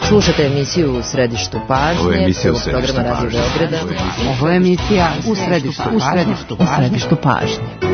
Slušate emisiju U središtu pažnje, prvog programa Radio Beograda. Ovo je emisija U središtu pažnje.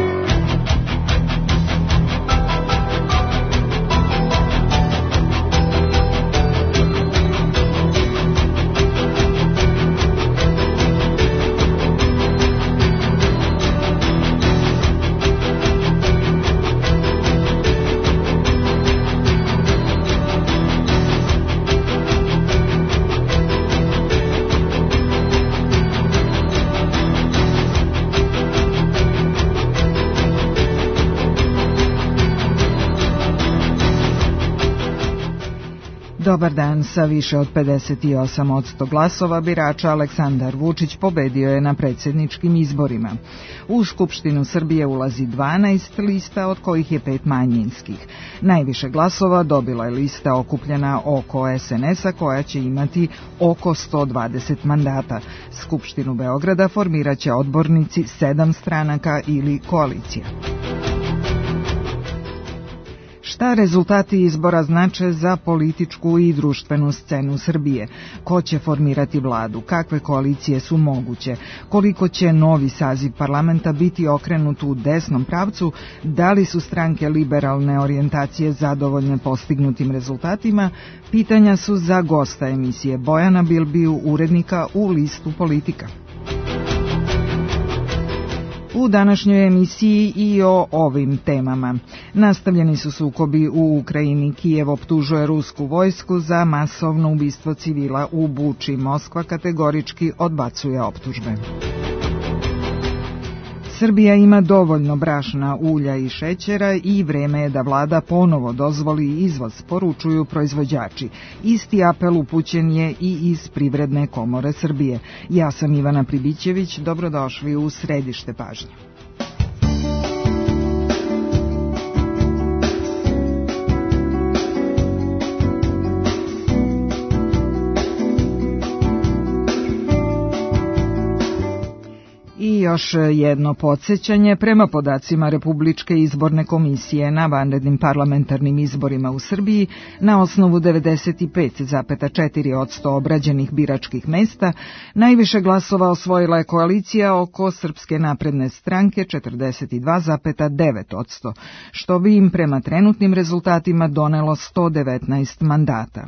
Dobar dan, sa više od 58% glasova birača Aleksandar Vučić pobedio je na predsjedničkim izborima. U Skupštinu Srbije ulazi 12 lista, od kojih je 5 manjinskih. Najviše glasova dobila je lista okupljena oko SNS-a, koja će imati oko 120 mandata. Skupštinu Beograda formirat će odbornici 7 stranaka ili koalicija. Šta rezultati izbora znače za političku i društvenu scenu Srbije? Ko će formirati vladu? Kakve koalicije su moguće? Koliko će novi saziv parlamenta biti okrenut u desnom pravcu? Da li su stranke liberalne orijentacije zadovoljne postignutim rezultatima? Pitanja su za gosta emisije Bojana Bilbiju, urednika u Listu Politika. U današnjoj emisiji i o ovim temama. Nastavljeni su sukobi u Ukrajini. Kijev optužuje rusku vojsku za masovno ubistvo civila u Buči. Moskva kategorički odbacuje optužbe. Srbija ima dovoljno brašna, ulja i šećera i vreme je da vlada ponovo dozvoli izvoz, poručuju proizvođači. Isti apel upućen je i iz Privredne komore Srbije. Ja sam Ivana Pribićević, dobrodošli u središte pažnje. I još jedno podsjećanje, prema podacima Republičke izborne komisije na vanrednim parlamentarnim izborima u Srbiji, na osnovu 95,4% obrađenih biračkih mesta, najviše glasova osvojila je koalicija oko Srpske napredne stranke 42,9%, što bi im prema trenutnim rezultatima donelo 119 mandata.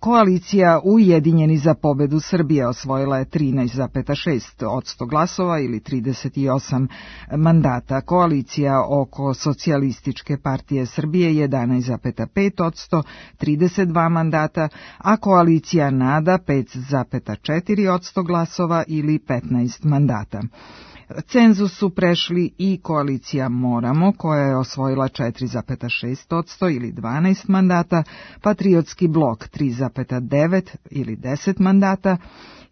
Koalicija Ujedinjeni za pobedu Srbije osvojila je 13,6% glasova ili 38 mandata. Koalicija oko Socijalističke partije Srbije 11,5%, 32 mandata, a koalicija NADA 5,4% glasova ili 15 mandata. Cenzus su prešli i koalicija Moramo, koja je osvojila 4,6% ili 12 mandata, Patriotski blok 3,9 ili 10 mandata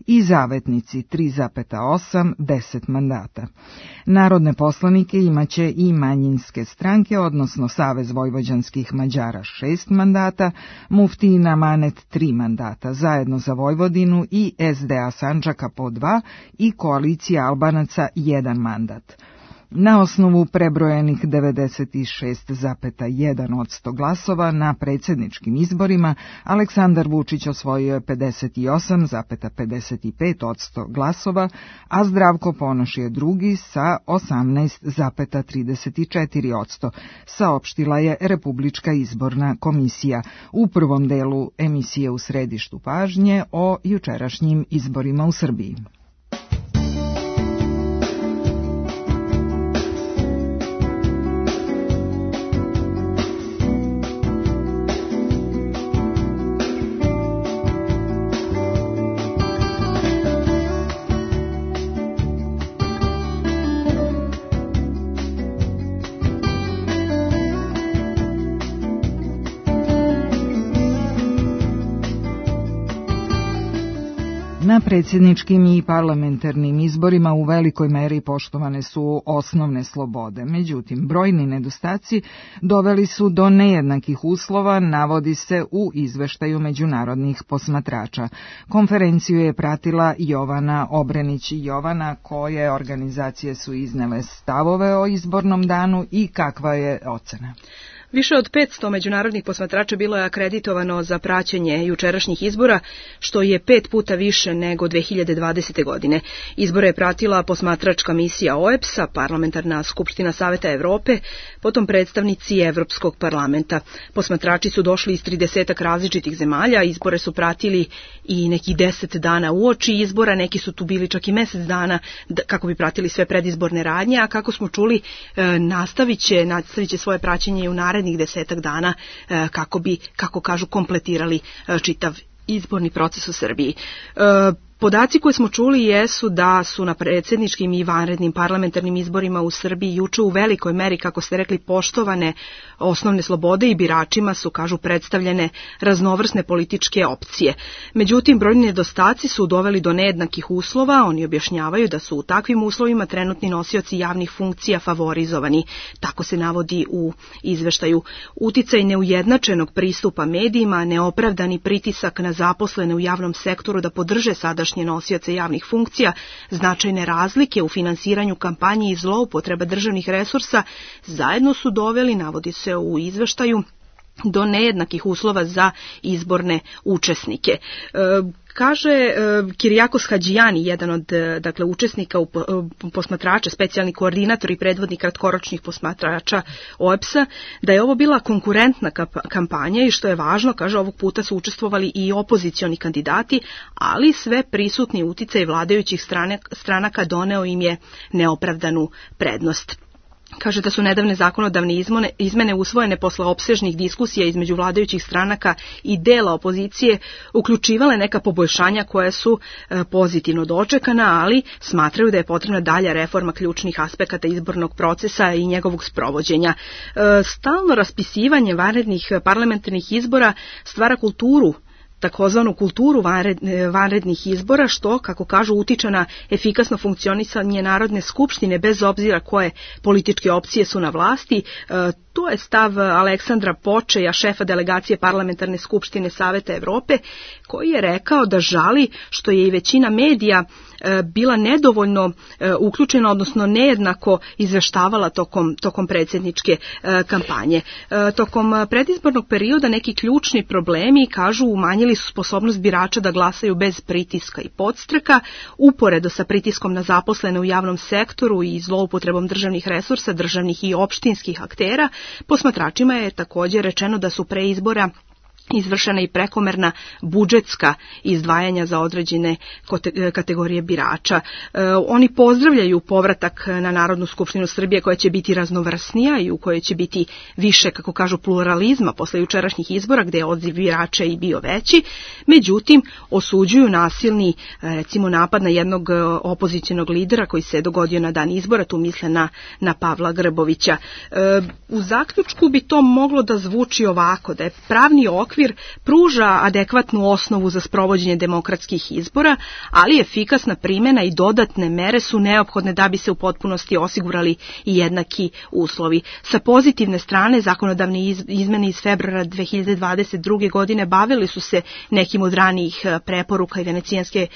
i Zavetnici 3,8, 10 mandata. Narodne poslanike imaće i manjinske stranke, odnosno Savez vojvođanskih Mađara 6 mandata, Muftijin Amanet 3 mandata, Zajedno za Vojvodinu i SDA Sandžaka po 2 i koalicija Albanaca 1 mandat. Na osnovu prebrojenih 96,1% glasova na predsjedničkim izborima, Aleksandar Vučić osvojio je 58,55% glasova, a Zdravko Ponoš je drugi sa 18,34%, saopštila je Republička izborna komisija u prvom delu emisije U središtu pažnje o jučerašnjim izborima u Srbiji. Na Na predsjedničkim i parlamentarnim izborima u velikoj meri poštovane su osnovne slobode. Međutim, brojni nedostaci doveli su do nejednakih uslova, navodi se u izveštaju međunarodnih posmatrača. Konferenciju je pratila Jovana Obrenić. Jovana, koje organizacije su iznele stavove o izbornom danu i kakva je ocena? Više od 500 međunarodnih posmatrača bilo je akreditovano za praćenje jučerašnjih izbora, što je 5 puta više nego 2020. godine. Izbore je pratila posmatračka misija OEBS-a, Parlamentarna skupština Saveta Evrope, potom predstavnici Evropskog parlamenta. Posmatrači su došli iz 30 različitih zemalja, izbore su pratili i nekih 10 dana uoči izbora, neki su tu bili čak i mesec dana kako bi pratili sve predizborne radnje, a kako smo čuli, nastavit će svoje praćenje i u narednih 10 dana kako bi, kako kažu, kompletirali čitav izborni proces u Srbiji. Podaci koje smo čuli jesu da su na predsjedničkim i vanrednim parlamentarnim izborima u Srbiji juče u velikoj meri, kako ste rekli, poštovane osnovne slobode i biračima su, kažu, predstavljene raznovrsne političke opcije. Međutim, brojni nedostaci su doveli do nejednakih uslova. Oni objašnjavaju da su u takvim uslovima trenutni nosioci javnih funkcija favorizovani. Tako se navodi u izveštaju. Uticaj neujednačenog pristupa medijima, neopravdani pritisak na zaposlene u javnom sektoru da podrže sadašnje nosioce javnih funkcija, značajne razlike u finansiranju kampanje i zloupotreba državnih resursa zajedno su doveli, navodi se u izveštaju, do nejednakih uslova za izborne učesnike. Kaže Kirijakos Hadžijani, jedan od učesnika posmatrača, specijalni koordinator i predvodnik kratkoročnih posmatrača OEBS-a, da je ovo bila konkurentna kampanja i što je važno, kaže, ovog puta su učestvovali i opozicioni kandidati, ali sve prisutni uticaj vladajućih stranaka doneo im je neopravdanu prednost. Kaže da su nedavne zakonodavne izmene usvojene posle opsežnih diskusija između vladajućih stranaka i dela opozicije uključivale neka poboljšanja koja su pozitivno dočekana, ali smatraju da je potrebna dalja reforma ključnih aspekata izbornog procesa i njegovog sprovođenja. Stalno raspisivanje vanrednih parlamentarnih izbora stvara kulturu, takozvanu kulturu vanrednih izbora, što, kako kažu, utiče na efikasno funkcionisanje Narodne skupštine bez obzira koje političke opcije su na vlasti. To je stav Aleksandra Počeja, šefa delegacije Parlamentarne skupštine Saveta Evrope, koji je rekao da žali što je i većina medija bila nedovoljno uključena, odnosno nejednako izveštavala tokom predsjedničke kampanje. Tokom predizbornog perioda neki ključni problemi, kažu, umanjili su sposobnost birača da glasaju bez pritiska i podstreka, uporedo sa pritiskom na zaposlene u javnom sektoru i zloupotrebom državnih resursa, državnih i opštinskih aktera. Posmatračima je također rečeno da su pre izbora izvršena i prekomerna budžetska izdvajanja za određene kategorije birača. Oni pozdravljaju povratak na Narodnu skupštinu Srbije koja će biti raznovrsnija i u kojoj će biti više, kako kažu, pluralizma posle jučerašnjih izbora gdje je odziv birača i bio veći. Međutim, osuđuju nasilni, recimo, napad na jednog opozicionog lidera koji se dogodio na dan izbora, tu misle na Pavla Grbovića. U zaključku bi to moglo da zvuči ovako, da je pravni okvir pruža adekvatnu osnovu za sprovođenje demokratskih izbora, ali efikasna primjena i dodatne mere su neophodne da bi se u potpunosti osigurali i jednaki uslovi. Sa pozitivne strane, zakonodavne izmene iz februara 2022. godine bavili su se nekim od ranijih preporuka i Venecijanske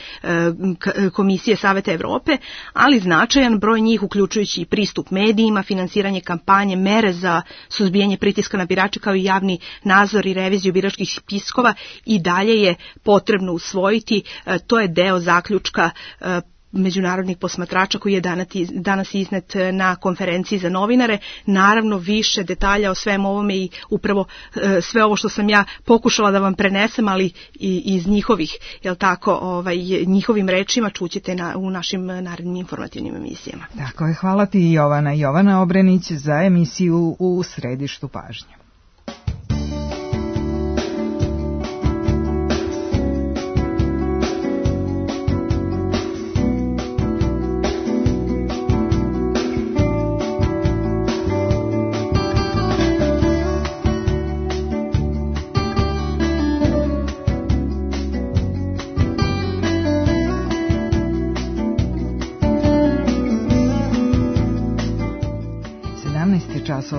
komisije Saveta Evrope, ali značajan broj njih, uključujući i pristup medijima, finansiranje kampanje, mere za suzbijanje pritiska na birače, kao i javni nadzor i reviziju biračkih spiskova, i dalje je potrebno usvojiti. To je deo zaključka međunarodnih posmatrača koji je danas iznet na konferenciji za novinare. Naravno, više detalja o svem ovome i upravo sve ovo što sam ja pokušala da vam prenesem, ali i iz njihovih, njihovim rečima čućete u našim narednim informativnim emisijama. Tako je, hvala ti, Jovana. Jovana Obrenić za emisiju U središtu pažnje.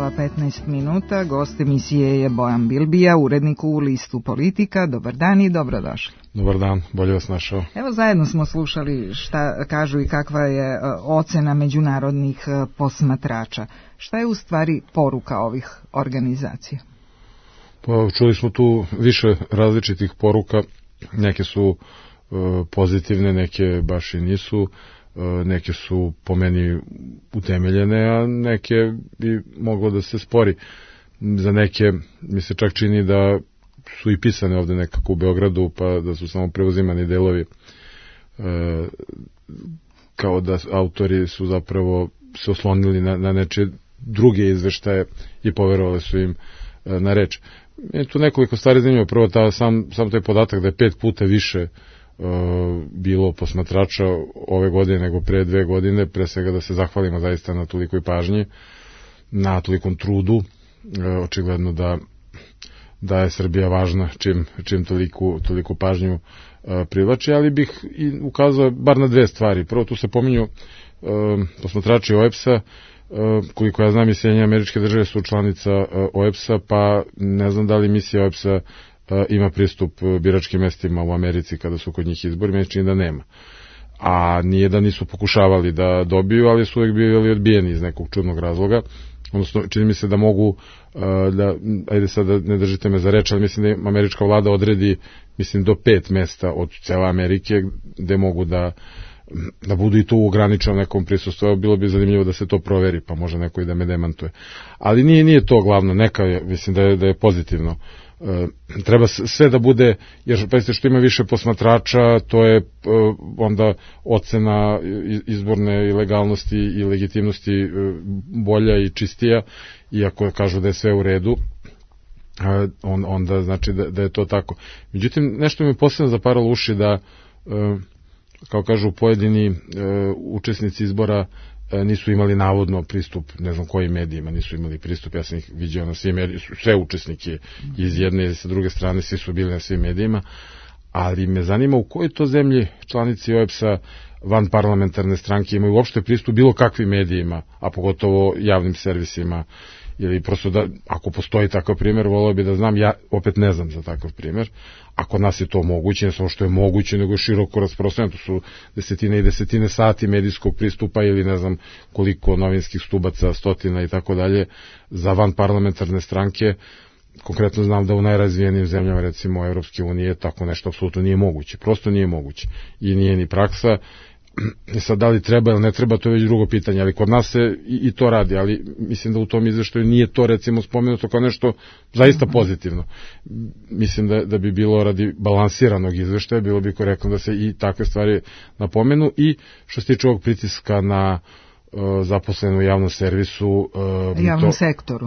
časova 15 minuta. Gost emisije je Bojan Bilbija, urednik u listu Politika. Dobar dan i dobrodošli. Dobar dan, bolje vas našao. Evo, zajedno smo slušali šta kažu i kakva je ocena međunarodnih posmatrača. Šta je u stvari poruka ovih organizacija? Pa, čuli smo tu više različitih poruka. Neke su pozitivne, neke baš i nisu. Neke su po meni utemeljene, a neke bi moglo da se spori. Za neke mi se čak čini da su i pisane ovde nekako u Beogradu, pa da su samo preuzimani delovi, kao da autori su zapravo se oslonili na nečije druge izveštaje i poverovali su im na reč. Je tu nekoliko stvari zanimljivo. Prvo, sam taj podatak da je 5 puta više bilo posmatrača ove godine nego pre 2 godine, pre svega da se zahvalimo zaista na tolikoj pažnji, na tolikom trudu. Očigledno da je Srbija važna čim toliku pažnju privlači, ali bih i ukazao bar na 2 stvari. Prvo, tu se pominju posmatrači OEBS-a, koliko ja znam i Sjedinjene Američke Države su članica OEBS-a, pa ne znam da li misija OEBS-a ima pristup biračkim mestima u Americi kada su kod njih izbori, meni čini da nema. A nije da nisu pokušavali da dobiju, ali su uvek bili odbijeni iz nekog čudnog razloga. Odnosno, čini mi se da mogu, ajde sad da ne držite me za reč, ali mislim da američka vlada odredi, mislim, do 5 mesta od cele Amerike gde mogu da budu i to u ograničenom nekom prisustvu. Bilo bi zanimljivo da se to proveri, pa može neko i da me demantuje. Ali nije to glavno, mislim da je pozitivno. Treba sve da bude, jer pa što ima više posmatrača, to je onda ocena izborne legalnosti i legitimnosti bolja i čistija, iako kažu da je sve u redu, onda znači da je to tako. Međutim, nešto mi je posebno zaparalo uši da, kao kažu pojedini učesnici izbora, nisu imali navodno pristup, ne znam kojim medijima nisu imali pristup, ja sam ih vidio na svim medijima, sve učesnike iz jedne i sa druge strane, svi su bili na svim medijima, ali me zanima u kojoj to zemlji članici OEBS-a van parlamentarne stranke imaju uopšte pristup bilo kakvim medijima, a pogotovo javnim servisima, ili prosto da, ako postoji takav primjer, volio bi da znam, ja opet ne znam za takav primjer. Ako nas je to moguće, ne samo što je moguće, nego je široko rasprostranjeno, to su desetine i desetine sati medijskog pristupa ili ne znam koliko novinskih stubaca, stotina i tako dalje, za van parlamentarne stranke. Konkretno znam da u najrazvijenijim zemljama, recimo Evropske unije, tako nešto apsolutno nije moguće, prosto nije moguće i nije ni praksa. Sad, da li treba ili ne treba, to je već drugo pitanje, ali kod nas se i to radi, ali mislim da u tom izveštaju nije to recimo spomenuto kao nešto zaista pozitivno. Mislim da bi bilo radi balansiranog izveštaja, bilo bi korektno da se i takve stvari napomenu. I što se tiče ovog pritiska na zaposlenu u javnom servisu, javnom sektoru.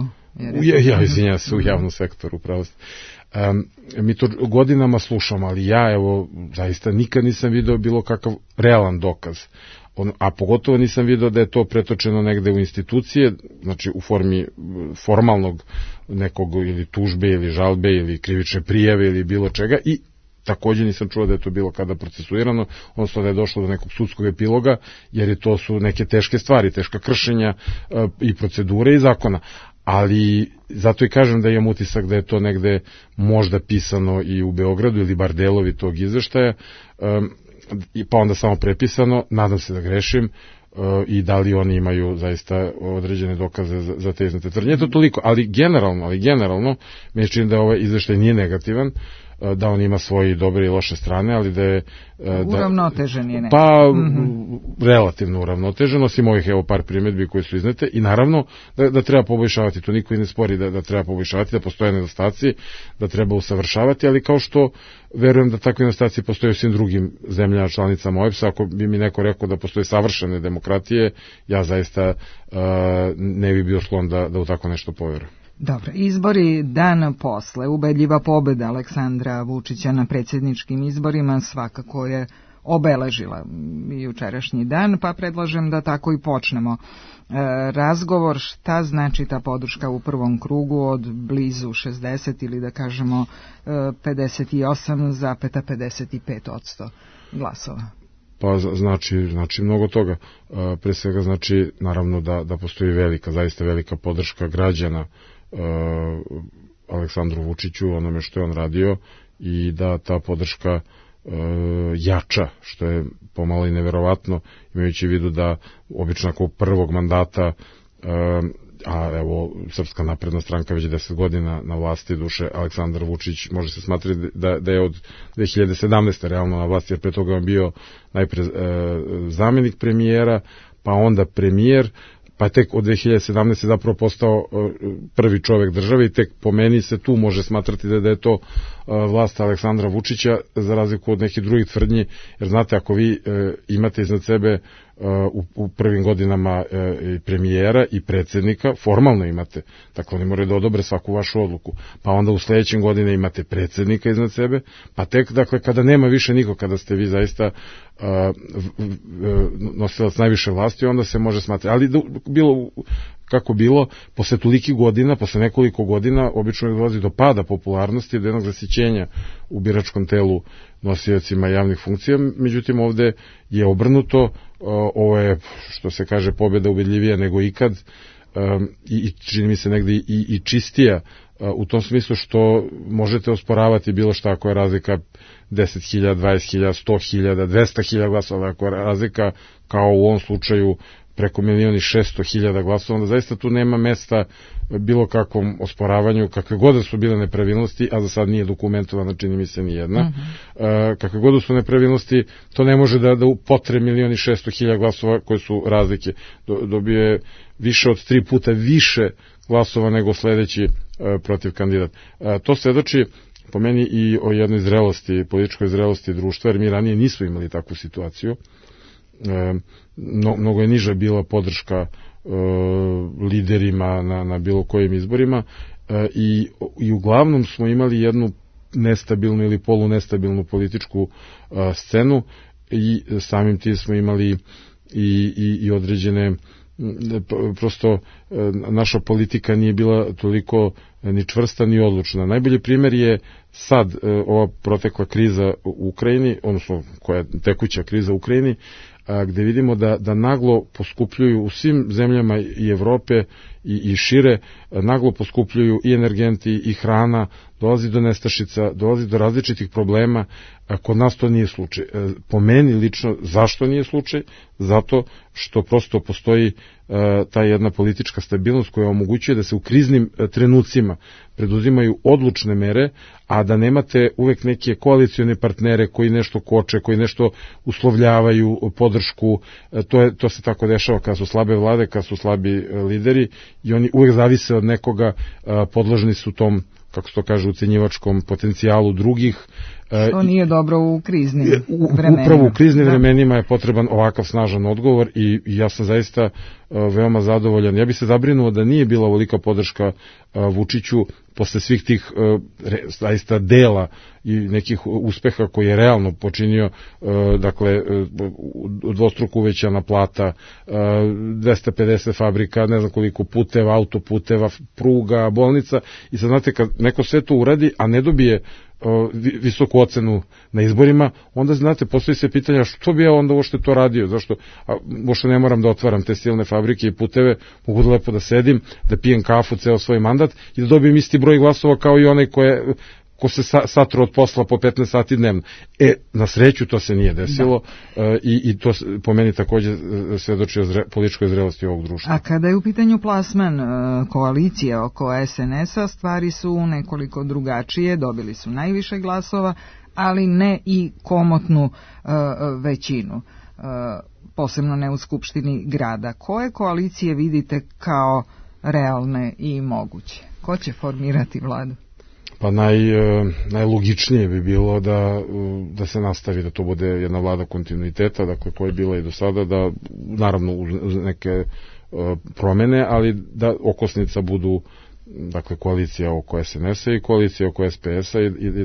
Izvinjavam se, u javnom sektoru, pravo ste. Mi to godinama slušamo, ali ja zaista nikad nisam video bilo kakav realan dokaz, a pogotovo nisam video da je to pretočeno negde u institucije, znači u formi formalnog nekog ili tužbe ili žalbe ili krivične prijave ili bilo čega, i takođe nisam čuo da je to bilo kada procesuirano, odnosno da je došlo do nekog sudskog epiloga, jer to su neke teške stvari, teška kršenja i procedure i zakona. Ali zato i kažem da imam utisak da je to negde možda pisano i u Beogradu ili bar delovi tog izveštaja, pa onda samo prepisano, nadam se da grešim, i da li oni imaju zaista određene dokaze za te iznete tvrdnje. To toliko, ali generalno mi čini da ovaj izveštaj nije negativan, da on ima svoje dobre i loše strane, ali da je uravnotežen je relativno uravnotežen, osim ovih par primjedbi koje su iznete, i naravno da treba poboljšavati, to niko i ne spori da treba poboljšavati, da postoje nedostaci, da treba usavršavati, ali kao što verujem da takve nedostaci postoje u svim drugim zemljama članicama OEBS-a. Ako bi mi neko rekao da postoje savršene demokratije, ja zaista ne bi bio sklon da u tako nešto poverujem. Dobro, izbori dan posle, ubedljiva pobeda Aleksandra Vučića na predsjedničkim izborima svakako je obeležila jučerašnji dan, pa predlažem da tako i počnemo razgovor. Šta znači ta podrška u prvom krugu od blizu 60 ili da kažemo 58,55% glasova? Pa znači mnogo toga. Pre svega znači naravno da postoji zaista velika podrška građana Aleksandru Vučiću, onome što je on radio, i da ta podrška jača, što je pomalo i neverovatno, imajući u vidu da obično ako prvog mandata, a evo Srpska napredna stranka već 10 godina na vlasti, duše Aleksandar Vučić može se smatrati da je od 2017. realno na vlasti, jer pre toga on bio najpre zamenik premijera, pa onda premijer, pa tek od 2017. zapravo postao prvi čovek države, i tek po meni se tu može smatrati da je to vlast Aleksandra Vučića, za razliku od nekih drugih tvrdnji, jer znate, ako vi imate iznad sebe u prvim godinama i premijera i predsjednika, formalno imate, dakle oni moraju da odobre svaku vašu odluku, pa onda u sledećem godine imate predsjednika iznad sebe, pa tek, dakle, kada nema više niko, kada ste vi zaista nosilac najviše vlasti, onda se može smatrati, ali bilo kako bilo, posle tolikih godina, posle nekoliko godina, obično dolazi do pada popularnosti, do jednog zasićenja u biračkom telu nosiocima javnih funkcija. Međutim, ovde je obrnuto, ovo je, što se kaže, pobjeda ubedljivija nego ikad, i čini mi se negde i čistija, u tom smislu što možete osporavati bilo šta ako je razlika 10.000, 20.000, 100.000, 200.000 glasova, ako je razlika kao u ovom slučaju preko 1.600.000 glasova, onda zaista tu nema mesta bilo kakvom osporavanju, kakve god su bile nepravilnosti, a za sad nije dokumentovana, čini mi se, ni jedna. Kakve god su nepravilnosti, to ne može da upotre 1.600.000 glasova koje su razlike. Dobio je više od 3 puta više glasova nego sledeći protiv kandidat. To svedoči po meni i o jednoj zrelosti, političkoj zrelosti društva, jer mi ranije nismo imali takvu situaciju. Mnogo je niža bila podrška liderima na bilo kojim izborima, i uglavnom smo imali jednu nestabilnu ili polunestabilnu političku scenu, i samim tim smo imali i određene, prosto naša politika nije bila toliko ni čvrsta ni odlučna. Najbolji primjer je sad ova protekla kriza u Ukrajini, odnosno koja je tekuća kriza u Ukrajini, gde vidimo da naglo poskupljuju u svim zemljama i Evrope i šire, naglo poskupljuju i energenti i hrana, dolazi do nestašica, dolazi do različitih problema. Kod nas to nije slučaj. Po meni lično, zašto nije slučaj? Zato što prosto postoji ta jedna politička stabilnost koja omogućuje da se u kriznim trenucima preduzimaju odlučne mere, a da nemate uvek neke koalicione partnere koji nešto koče, koji nešto uslovljavaju podršku. To se tako dešava kada su slabe vlade, kada su slabi lideri, i oni uvek zavise od nekoga, podložni su tom, kako se to kaže, ucenjivačkom potencijalu drugih. Što nije dobro u kriznim vremenima. Upravo u kriznim vremenima je potreban ovakav snažan odgovor, i ja sam zaista veoma zadovoljan. Ja bih se zabrinuo da nije bila ovolika podrška Vučiću posle svih tih zaista dela i nekih uspeha koji je realno počinio, dakle dvostruko uvećana plata, 250 fabrika, ne znam koliko puteva, autoputeva, pruga, bolnica, i sad znate, kad neko sve to uradi, a ne dobije visoku ocenu na izborima, onda znate, postoji se pitanja što bi ja onda uopšte to radio, zašto uopšte ne moram da otvaram te silne fabrike i puteve, mogu da lepo da sedim, da pijem kafu ceo svoj mandat i da dobijem isti broj glasova kao i onaj ko se satro od posla po 15 sati dnevno. Na sreću to se nije desilo, i to po meni takođe svedoči o političkoj zrelosti ovog društva. A kada je u pitanju plasman koalicije oko SNS-a, stvari su nekoliko drugačije, dobili su najviše glasova, ali ne i komotnu većinu, posebno ne u Skupštini grada. Koje koalicije vidite kao realne i moguće? Ko će formirati vladu? Pa najlogičnije bi bilo da se nastavi, da to bude jedna vlada kontinuiteta, dakle koja je bila i do sada, da naravno uz neke promene, ali da okosnica budu, dakle, koalicija oko SNS-a i koalicija oko SPS-a, i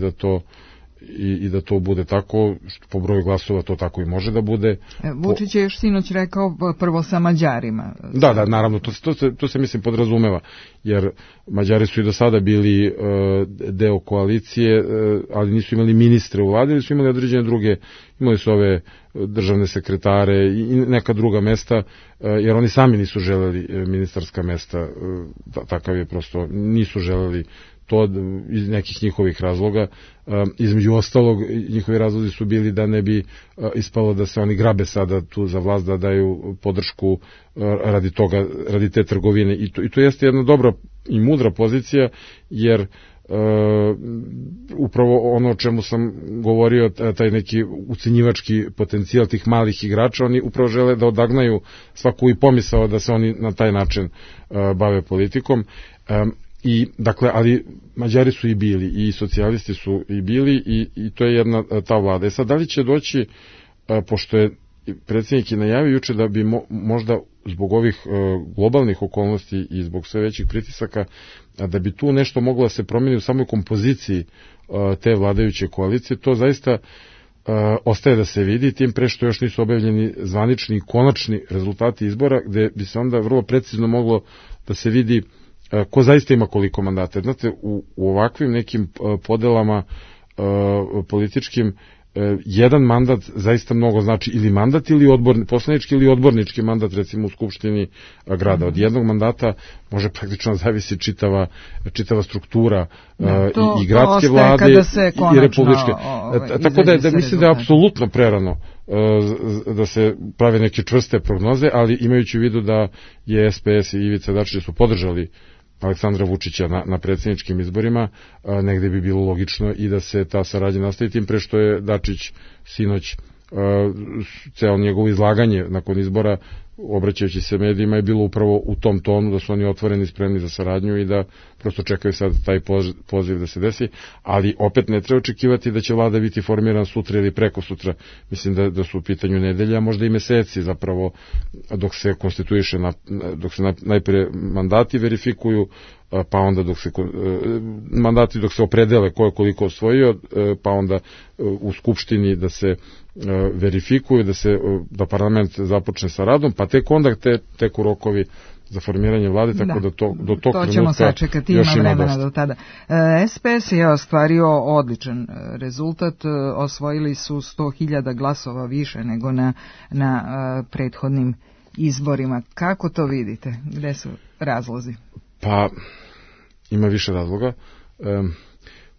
i da to bude tako, što po broju glasova to tako i može da bude. Vučić je još sinoć rekao prvo sa Mađarima. Da, naravno, to se mislim podrazumeva, jer Mađari su i do sada bili deo koalicije, ali nisu imali ministre u vladi, ali su imali određene druge, imali su ove državne sekretare i neka druga mesta, jer oni sami nisu želeli ministarska mesta, takav je prosto, nisu želeli to iz nekih njihovih razloga. Između ostalog, njihovi razlozi su bili da ne bi ispalo da se oni grabe sada tu za vlast, da daju podršku radi toga, radi te trgovine. I to jeste jedna dobra i mudra pozicija, jer upravo ono o čemu sam govorio, taj neki ucenjivački potencijal tih malih igrača, oni upravo žele da odagnaju svaku i pomisao da se oni na taj način bave politikom. I, dakle, ali Mađari su i bili, i socijalisti su i bili, i to je jedna ta vlada. Sad, da li će doći, pošto je predsjednik i najavio juče da bi možda zbog ovih globalnih okolnosti i zbog sve većih pritisaka, da bi tu nešto moglo da se promeni u samoj kompoziciji te vladajuće koalicije, to zaista ostaje da se vidi, tim pre što još nisu objavljeni zvanični i konačni rezultati izbora, gde bi se onda vrlo precizno moglo da se vidi ko zaista ima koliko mandata. Znate, u ovakvim nekim podelama političkim, jedan mandat zaista mnogo znači, ili mandat ili poslanički ili odbornički mandat, recimo u Skupštini grada. Od jednog mandata može praktično zavisi čitava struktura i gradske vlade i republičke. Tako da mislim da je apsolutno prerano da se prave neke čvrste prognoze, ali imajući u vidu da je SPS i Ivica Dačić su podržali Aleksandra Vučića na predsjedničkim izborima, negde bi bilo logično i da se ta saradnja nastavi, tim pre što je Dačić sinoć ceo njegovo izlaganje nakon izbora, obraćajući se medijima, je bilo upravo u tom tonu da su oni otvoreni, spremni za saradnju i da prosto čekaju sad taj poziv da se desi, ali opet ne treba očekivati da će vlada biti formirana sutra ili preko sutra. Mislim da su u pitanju nedelja, možda i meseci zapravo, dok se konstituiše, dok se najpre mandati verifikuju, pa onda mandati dok se opredele ko je koliko osvojio, pa onda u Skupštini da se verifikuju, da parlament započne sa radom, pa tek onda teku rokovi za formiranje vlade, tako da do tog to ćemo sačekati, ima vremena do tada. SPS je ostvario odličan rezultat, osvojili su 100.000 glasova više nego na prethodnim izborima. Kako to vidite? Gde su razlozi? Pa, ima više razloga.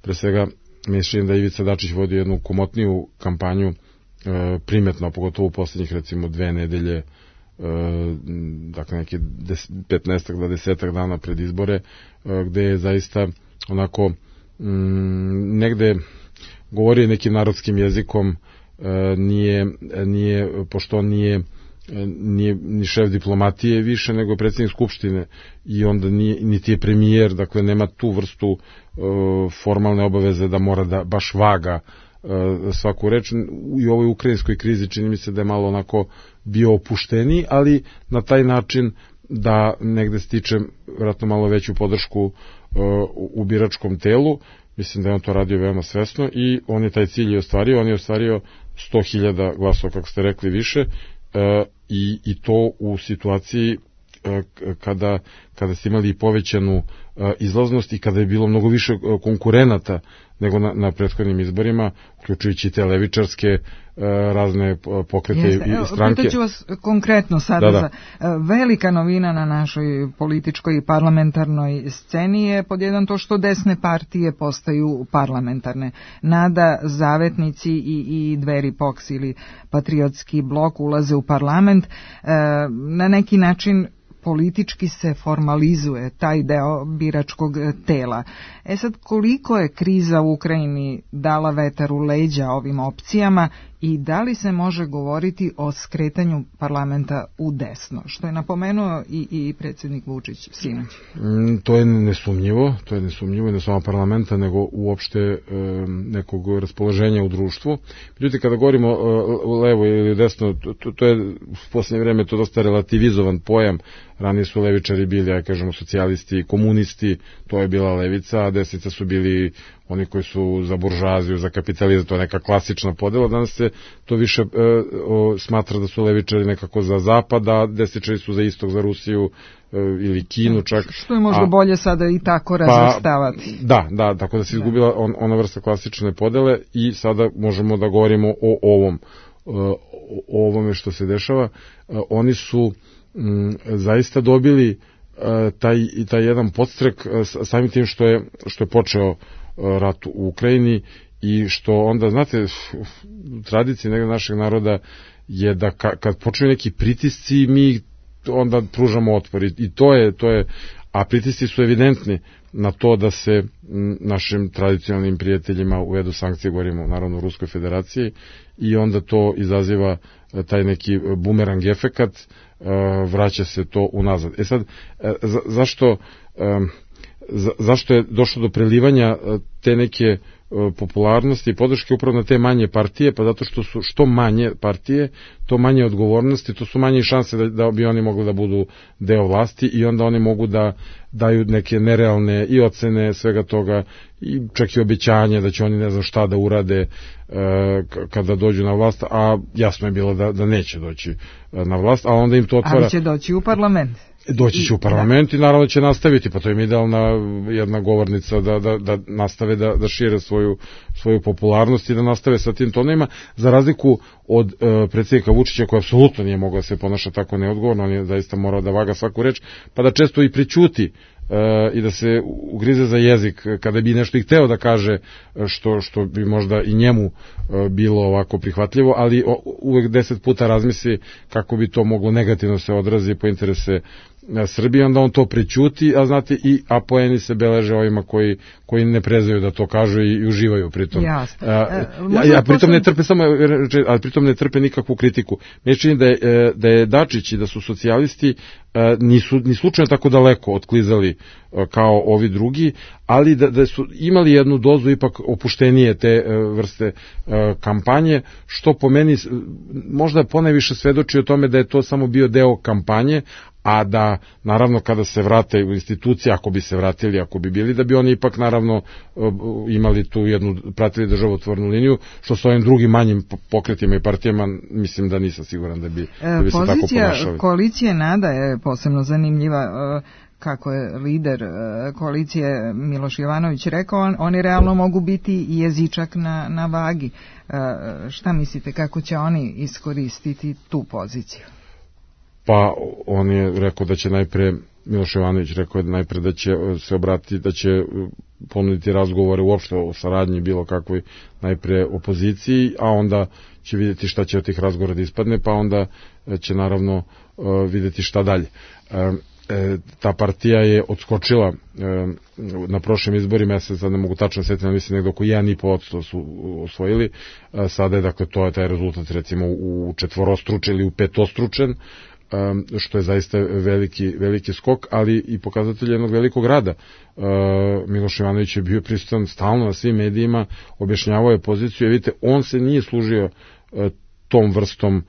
Pre svega, mislim da Ivica Dačić vodi jednu komotniju kampanju, primetno, pogotovo u posljednjih, recimo, 2 nedelje, dakle neki 15 do 10 dana pred izbore, gde je zaista onako negde govori nekim narodskim jezikom, pošto on nije ni šef diplomatije više nego predsjednik Skupštine, i onda niti je premijer, dakle nema tu vrstu formalne obaveze da mora da baš vaga svaku reč. I u ovoj ukrajinskoj krizi čini mi se da je malo onako bio opušteniji, ali na taj način da negde stiče vjerojatno malo veću podršku u biračkom telu. Mislim da je on to radio veoma svesno i on je taj cilj ostvario. On je ostvario 100.000 glasova, kako ste rekli, više, i to u situaciji kada ste imali povećanu izlaznost i kada je bilo mnogo više konkurenata nego na prethodnim izborima, uključujući te levičarske razne pokrete i stranke. Pitaću vas konkretno sada. Velika novina na našoj političkoj i parlamentarnoj sceni je pod jedan to što desne partije postaju parlamentarne. Nada, Zavetnici i Dveri, POKS ili Patriotski blok ulaze u parlament. Na neki način politički se formalizuje taj deo biračkog tela. Sad, koliko je kriza u Ukrajini dala vetar u leđa ovim opcijama i da li se može govoriti o skretanju parlamenta u desno, što je napomenuo i predsjednik Vučić sinoć? To je nesumnjivo i ne samo parlamenta, nego uopšte nekog raspoloženja u društvu. Međutim, kada govorimo levo ili desno, to je u posljednje vreme to dosta relativizovan pojam. Ranije su levičari bili, ja kažemo, socijalisti, komunisti, to je bila levica, a desnica su bili oni koji su za buržoaziju, za kapitalizam, to je neka klasična podela. Danas se to više smatra da su levičari nekako za zapad, a desničari su za istok, za Rusiju ili Kinu čak. Što je možda bolje sada i tako razvrstavati. Da, tako da se izgubila ona vrsta klasične podele i sada možemo da govorimo o ovome što se dešava. Oni su zaista dobili taj jedan podstrek samim tim što je počeo rat u Ukrajini i što onda, znate, tradicija našeg naroda je da kad počinju neki pritisci mi onda pružamo otpor i to je, a pritisci su evidentni na to da se našim tradicionalnim prijateljima uvedu sankcije, govorimo naravno u Ruskoj federaciji, i onda to izaziva taj neki bumerang efekat, vraća se to unazad. Sad, zašto je došlo do prelivanja te neke popularnosti i podrške upravo na te manje partije? Pa zato što su što manje partije, to manje odgovornosti, to su manje šanse da bi oni mogli da budu deo vlasti i onda oni mogu da daju neke nerealne i ocene svega toga i čak i obećanja da će oni ne znam šta da urade kada dođu na vlast, a jasno je bilo da neće doći na vlast, a onda im to otvara... Ali će doći u parlament. Doći će u parlament i naravno će nastaviti, pa to je idealna jedna govornica da nastave da šire svoju popularnost i da nastave sa tim tonima, za razliku od predsjednika Vučića koji apsolutno nije mogao da se ponaša tako neodgovorno, on je zaista morao da vaga svaku reč, pa da često i prećuti i da se ugrize za jezik kada bi nešto i hteo da kaže što bi možda i njemu bilo ovako prihvatljivo, ali uvek 10 puta razmisli kako bi to moglo negativno se odrazi po interese Srbije, onda on to prećuti, a znate, a poeni se beleže ovima koji ne prezaju da to kažu i uživaju pritom. Pritom ne trpe nikakvu kritiku. Meni čini da je Dačić i da su socijalisti nisu ni slučajno tako daleko otklizali kao ovi drugi, ali da su imali jednu dozu ipak opuštenije te vrste kampanje, što po meni možda ponajviše svedoči o tome da je to samo bio deo kampanje, a da naravno kada se vrate u institucije, ako bi se vratili, ako bi bili, da bi oni ipak naravno imali tu jednu, pratili državotvornu liniju, što s ovim drugim manjim pokretima i partijama mislim da nisam siguran da bi se tako ponašali. Pozicija koalicije NADA je posebno zanimljiva. Kako je lider koalicije Miloš Jovanović rekao, oni realno mogu biti jezičak na vagi. Šta mislite, kako će oni iskoristiti tu poziciju? Pa on je rekao da će najpre, Miloš Jovanović rekao je najpre da će se obratiti, da će ponuditi razgovore uopšte o saradnji bilo kakvoj najpre opoziciji, a onda će vidjeti šta će od tih razgovora da ispadne, pa onda će naravno vidjeti šta dalje. Ta partija je odskočila na prošlim izborima, ja se sad ne mogu tačno setiti, mislim nekdo oko 1,5% su osvojili, sada je, dakle, to je taj rezultat recimo u četvorostručen ili u petostručen, što je zaista veliki skok, ali i pokazatelj jednog velikog rada. Miloš Jovanović je bio prisutan stalno na svim medijima, objašnjavao je poziciju, vidite, on se nije služio tom vrstom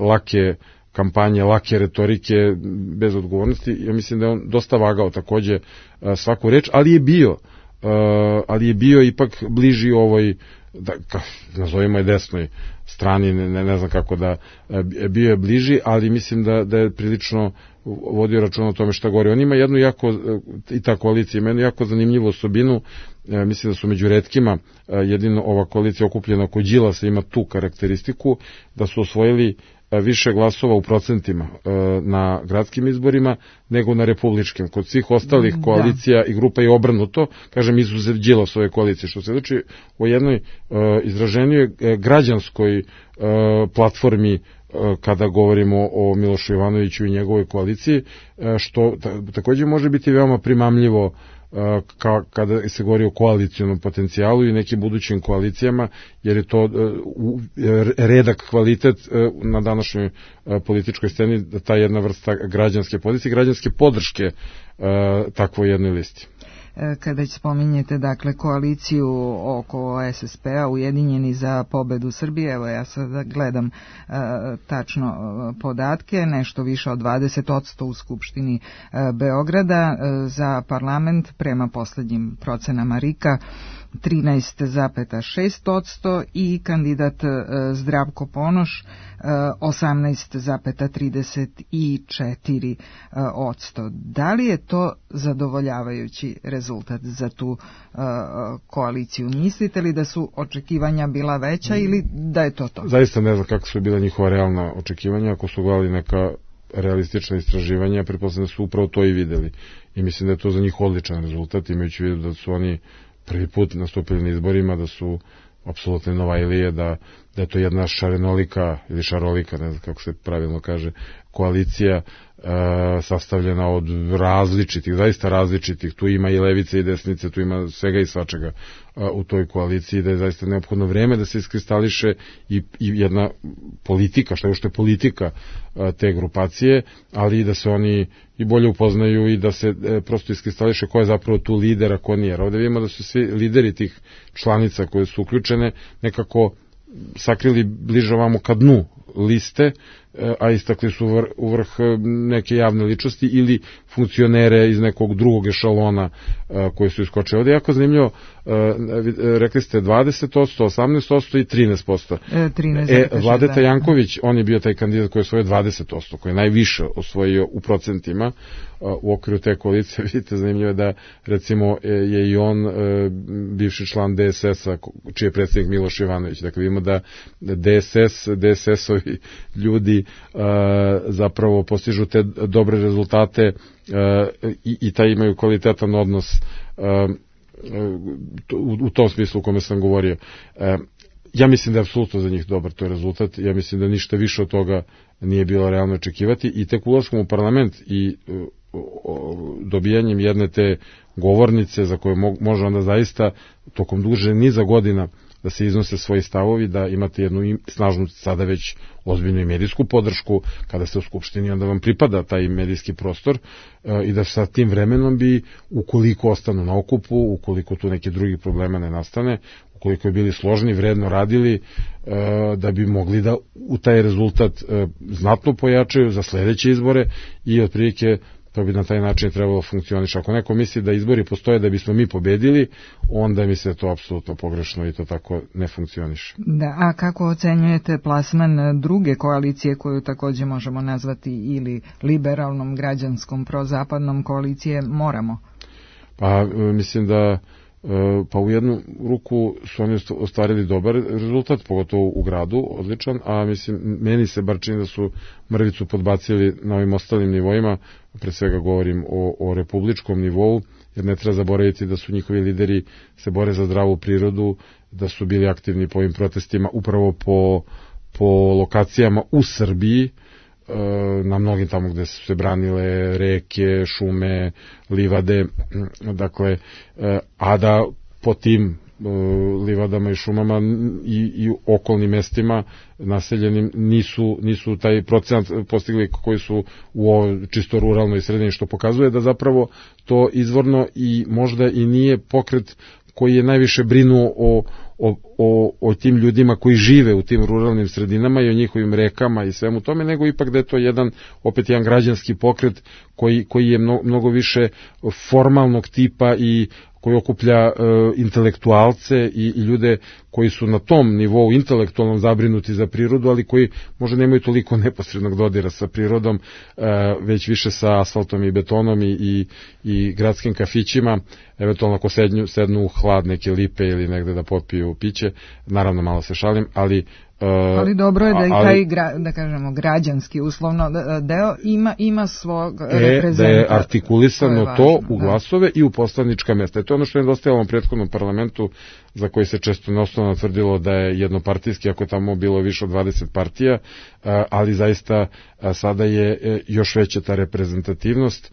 lake kampanje, lake retorike bez odgovornosti. Ja mislim da je on dosta vagao takođe svaku reč, ali je bio ipak bliži ovoj, nazovimo je desnoj strani, ne znam kako da, bio je bliži, ali mislim da je prilično vodio računa o tome šta govori. On ima jednu i ta koalicija ima jednu jako zanimljivu osobinu, mislim da su među retkima, jedino ova koalicija okupljena oko Đilasa ima tu karakteristiku, da su osvojili više glasova u procentima na gradskim izborima nego na republičkim. Kod svih ostalih koalicija i grupa je obrnuto, kažem, izuzev Đilasove koalicije, što se znači o jednoj izraženijoj građanskoj platformi kada govorimo o Milošu Jovanoviću i njegovoj koaliciji, što takođe može biti veoma primamljivo kada se govori o koalicionom potencijalu i nekim budućim koalicijama, jer je to redak kvalitet na današnjoj političkoj sceni, ta jedna vrsta građanske pozicije, građanske podrške takvoj jednoj listi. Kada već spominjete, dakle, koaliciju oko SSP-a, Ujedinjeni za pobedu Srbije, evo ja sad gledam tačno podatke, nešto više od 20% u Skupštini Beograda, za parlament prema poslednjim procenama RIK-a 13,6% i kandidat Zdravko Ponoš 18,34%. Da li je to zadovoljavajući rezultat za tu koaliciju? Mislite li da su očekivanja bila veća ili da je to to? Zaista ne znam kako su bila njihova realna očekivanja. Ako su gledali neka realistična istraživanja, pretpostavljam da su upravo to i videli. I mislim da je to za njih odličan rezultat, imajući vidu da su oni prvi put nastupili na izborima, da su apsolutno Novajlije, da je to jedna šarenolika ili šarolika, ne znam kako se pravilno kaže, koalicija sastavljena od različitih, zaista različitih, tu ima i levice i desnice, tu ima svega i svačega u toj koaliciji, da je zaista neophodno vreme da se iskristališe i jedna politika, što je politika te grupacije, ali i da se oni i bolje upoznaju i da se prosto iskristališe ko je zapravo tu lider, a ko nije. Ovdje vidimo da su svi lideri tih članica koje su uključene nekako sakrili bliže ovamo ka dnu liste, a istakli su u vrh neke javne ličnosti ili funkcionere iz nekog drugog ešalona koji su iskočili. Ovdje je jako zanimljivo, rekli ste 20%, 18% i 13%. Vladeta Janković, on je bio taj kandidat koji je osvojio 20%, koji je najviše osvojio u procentima u okviru te koalicije. Vidite, zanimljivo je da recimo je i on bivši član DSS-a, čiji je predsjednik Miloš Jovanović. Dakle, vidimo da DSS-ovi ljudi zapravo postižu te dobre rezultate i taj imaju kvalitetan odnos u tom smislu u kome sam govorio. Ja mislim da je apsolutno za njih dobar to rezultat, ja mislim da ništa više od toga nije bilo realno očekivati i tek ulaskom u parlament i dobijanjem jedne te govornice za koje može onda zaista tokom duže niza godina da se iznose svoji stavovi, da imate jednu snažnu, sada već ozbiljnu i medijsku podršku, kada ste u Skupštini, onda vam pripada taj medijski prostor i da sa tim vremenom bi, ukoliko ostanu na okupu, ukoliko tu neki drugi problema ne nastane, ukoliko je bili složni, vredno radili, da bi mogli da u taj rezultat znatno pojačaju za sledeće izbore i otprilike to bi na taj način trebalo funkcioniš. Ako neko misli da izbori postoje da bismo mi pobedili, onda misli da to apsolutno pogrešno i to tako ne funkcioniše. Da, a kako ocenjujete plasman druge koalicije koju također možemo nazvati ili liberalnom, građanskom, prozapadnom koalicije Moramo? Pa mislim da u jednu ruku su oni ostvarili dobar rezultat, pogotovo u gradu, odličan, a meni se bar čini da su mrvicu podbacili na ovim ostalim nivoima, pre svega govorim o republičkom nivou, jer ne treba zaboraviti da su njihovi lideri se bore za zdravu prirodu, da su bili aktivni po ovim protestima upravo po lokacijama u Srbiji, na mnogim tamo gde su se branile reke, šume, livade, dakle, a da po tim livadama i šumama i okolnim mestima naseljenim nisu taj procenat postigli koji su u ovoj čisto ruralnoj sredini, što pokazuje da zapravo to izvorno i možda i nije pokret koji je najviše brinuo o tim ljudima koji žive u tim ruralnim sredinama i o njihovim rekama i svemu tome, nego ipak da je to opet jedan građanski pokret koji je mnogo više formalnog tipa i koji okuplja intelektualce i ljude koji su na tom nivou intelektualno zabrinuti za prirodu, ali koji možda nemaju toliko neposrednog dodira sa prirodom, već više sa asfaltom i betonom i gradskim kafićima, eventualno ako sednu u hlad neke lipe ili negde da popiju piće, naravno malo se šalim, ali dobro je da i taj, da kažemo, građanski uslovno deo ima svog reprezenta. Da je artikulisano to u glasove i u poslanička mesta. To je ono što je nedostajalo u prethodnom parlamentu, za koji se često neosnovno tvrdilo da je jednopartijski, ako je tamo bilo više od 20 partija, ali zaista sada je još veća ta reprezentativnost.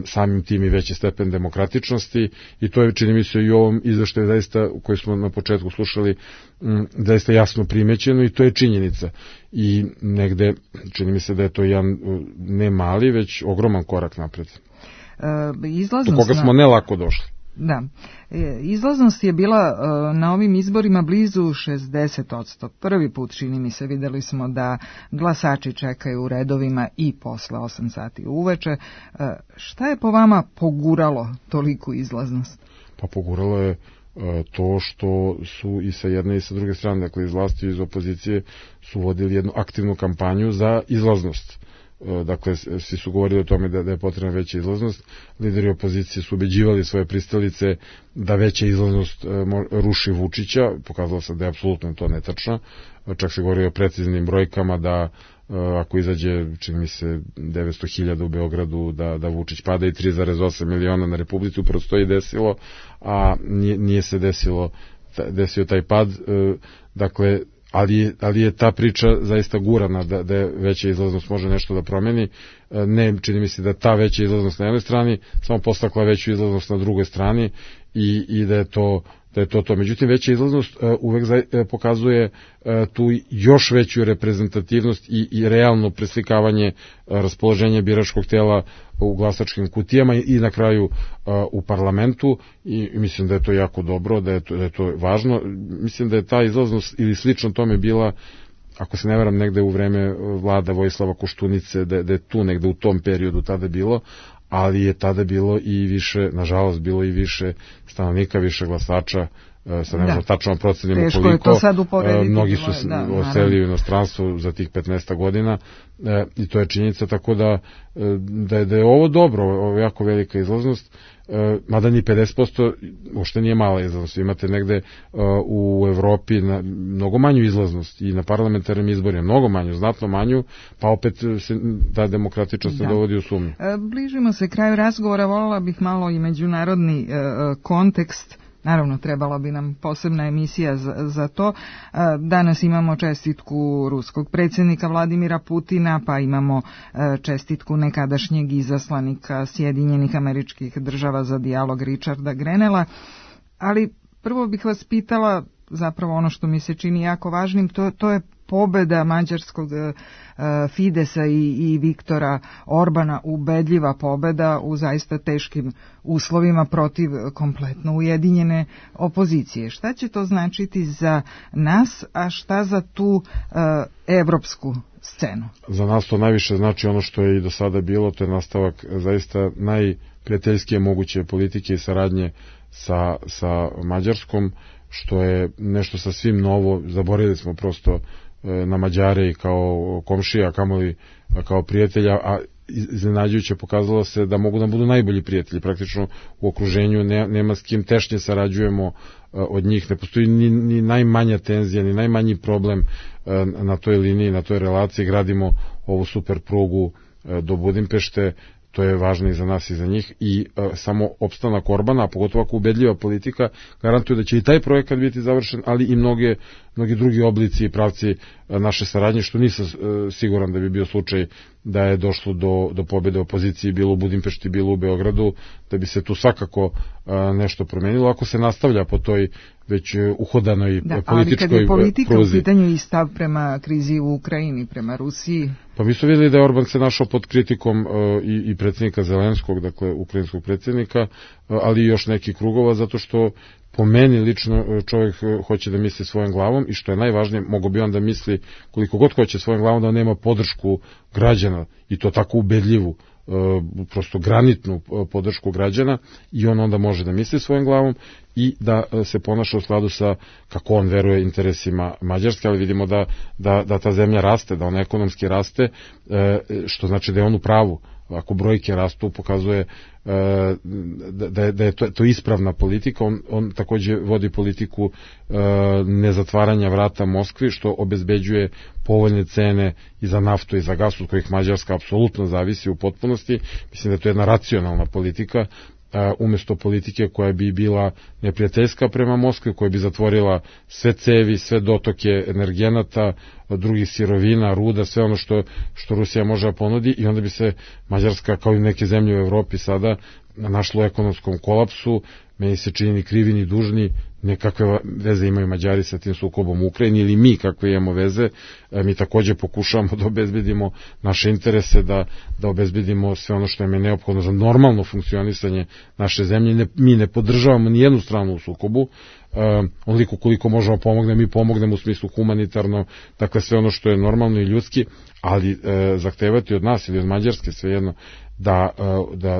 samim tim i veći stepen demokratičnosti i to je, čini mi se, i u ovom izveštaju zaista, koji smo na početku slušali, zaista jasno primećeno i to je činjenica. I negde, čini mi se da je to jedan ne mali, već ogroman korak napred. Do koga smo ne lako došli. Da. Izlaznost je bila na ovim izborima blizu 60%. Prvi put, čini mi se, videli smo da glasači čekaju u redovima i posle 8 sati uveče. Šta je po vama poguralo toliku izlaznost? Pa poguralo je to što su i sa jedne i sa druge strane, dakle iz vlasti i iz opozicije, su vodili jednu aktivnu kampanju za izlaznost. Dakle, svi su govorili o tome da je potrebna veća izlaznost. Lideri opozicije su ubeđivali svoje pristalice da veća izlaznost ruši Vučića. Pokazalo se da je apsolutno to netačno. Čak se govori o preciznim brojkama da ako izađe, čini mi se, 900.000 u Beogradu, da Vučić pada i 3,8 miliona na Republici. Upravo to i desilo, a nije se desio taj pad. Dakle, ali je ta priča zaista gurana da je veća izlaznost može nešto da promeni. Ne, čini mi se da ta veća izlaznost na jednoj strani samo postakla veću izlaznost na drugoj strani i da je to. Međutim, veća izlaznost uvek pokazuje tu još veću reprezentativnost i realno preslikavanje raspoloženja biračkog tela u glasačkim kutijama i na kraju u parlamentu i mislim da je to jako dobro, da je to važno. Mislim da je ta izlaznost ili slično tome bila, ako se ne varam, negde u vreme vlada Vojislava Koštunice, da je tu negde u tom periodu tada bilo, ali je tada bilo i više, nažalost, bilo i više stanovnika, više glasača, sad ne možemo tačno procenimo koliko, mnogi su odselili u inostranstvo za tih 15 godina i to je činjenica, tako da je ovo dobro, ovo je jako velika izlaznost, mada ni 50% uopšte nije mala izlaznost. Imate negde u Evropi mnogo manju izlaznost i na parlamentarnim izborima mnogo manju, znatno manju, pa opet se ta demokratičnost se dovodi u sumnju. Bližimo se kraju razgovora, voljela bih malo i međunarodni kontekst. Naravno, trebala bi nam posebna emisija za to. Danas imamo čestitku ruskog predsjednika Vladimira Putina, pa imamo čestitku nekadašnjeg izaslanika Sjedinjenih Američkih Država za dijalog Richarda Grenella. Ali prvo bih vas pitala, zapravo ono što mi se čini jako važnim, to je pobeda mađarskog Fidesa i Viktora Orbana, ubedljiva pobeda u zaista teškim uslovima protiv kompletno ujedinjene opozicije. Šta će to značiti za nas, a šta za tu evropsku scenu? Za nas to najviše znači ono što je i do sada bilo, to je nastavak zaista najprijateljskije moguće politike i saradnje sa Mađarskom, što je nešto sasvim novo. Zaboravili smo prosto na Mađare i kao komšija, kamoli kao prijatelja, a iznenađujuće pokazalo se da mogu da budu najbolji prijatelji. Praktično u okruženju nema s kim tešnje sarađujemo od njih, ne postoji ni najmanja tenzija, ni najmanji problem na toj liniji, na toj relaciji. Gradimo ovu super prugu do Budimpešte, to je važno i za nas i za njih i samo opstanak Orbana, a pogotovo ako ubedljiva politika, garantuje da će i taj projekat biti završen, ali i mnogi drugi oblici i pravci naše saradnje, što nisam siguran da bi bio slučaj da je došlo do pobjede opozicije, bilo u Budimpešti, bilo u Beogradu, da bi se tu svakako nešto promenilo, ako se nastavlja po toj već uhodanoj političkoj pruzi. Ali kad je politika u pitanju i stav prema krizi u Ukrajini, prema Rusiji? Pa mi smo vidjeli da je Orban se našao pod kritikom i predsjednika Zelenskog, dakle ukrajinskog predsjednika, ali i još nekih krugova, zato što po meni lično čovjek hoće da misli svojom glavom i što je najvažnije, mogo bi on da misli koliko god hoće svojom glavom, da nema podršku građana i to tako ubedljivu, prosto granitnu podršku građana i on onda može da misli svojom glavom i da se ponaša u skladu sa, kako on veruje, interesima Mađarske, ali vidimo da ta zemlja raste, da ona ekonomski raste, što znači da je on u pravu. Ako brojke rastu, pokazuje da je to ispravna politika. On takođe vodi politiku nezatvaranja vrata Moskvi, što obezbeđuje povoljne cene i za naftu i za gas, od kojih Mađarska apsolutno zavisi u potpunosti. Mislim da je to jedna racionalna politika umjesto politike koja bi bila neprijateljska prema Moskvi, koja bi zatvorila sve cevi, sve dotoke energenata, drugih sirovina, ruda, sve ono što Rusija može da ponudi, i onda bi se Mađarska, kao i neke zemlje u Evropi sada, našlo u ekonomskom kolapsu. Meni se čini ni krivi ni dužni, nekakve veze imaju Mađari sa tim sukobom u Ukrajini, ili mi kakve imamo veze. Mi takođe pokušavamo da obezbedimo naše interese, da obezbedimo sve ono što je neophodno za normalno funkcionisanje naše zemlje. Mi ne podržavamo ni jednu stranu u sukobu, onoliko koliko možemo pomognemo, mi pomognemo u smislu humanitarno, dakle sve ono što je normalno i ljudski, ali zahtevati od nas ili od Mađarske, svejedno,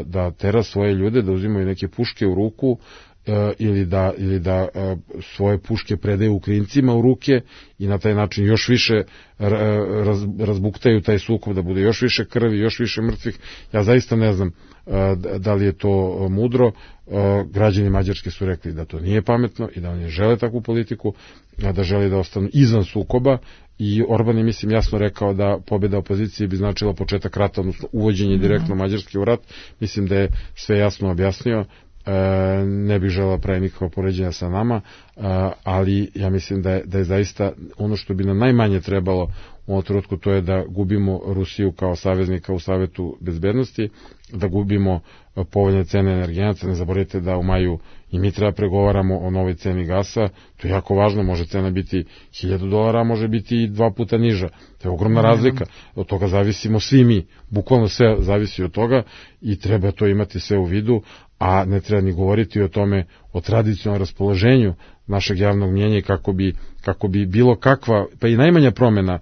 da tera svoje ljude, da uzimaju neke puške u ruku, ili da svoje puške predaju Ukrajincima u ruke i na taj način još više razbuktaju taj sukob, da bude još više krvi, još više mrtvih. Ja zaista ne znam da li je to mudro. Građani Mađarske su rekli da to nije pametno i da oni žele takvu politiku, da žele da ostanu izvan sukoba, i Orban je, mislim, jasno rekao da pobjeda opozicije bi značila početak rata, odnosno uvođenje direktno Mađarske u rat. Mislim da je sve jasno objasnio. Ne bih želeo pravi nikakva poređenja sa nama, ali ja mislim da je zaista ono što bi nam najmanje trebalo u ovom trenutku, to je da gubimo Rusiju kao saveznika u Savetu bezbednosti, da gubimo povoljne cene energenata. Ne zaboravite da u maju i mi treba pregovaramo o novoj ceni gasa. To je jako važno, može cena biti $1000, a može biti i 2 puta niža. To je ogromna razlika. Od toga zavisimo svi mi, bukvalno sve zavisi od toga, i treba to imati sve u vidu, a ne treba ni govoriti o tome, o tradicionalnom raspoloženju našeg javnog mnjenja, i kako bi bilo kakva, pa i najmanja promjena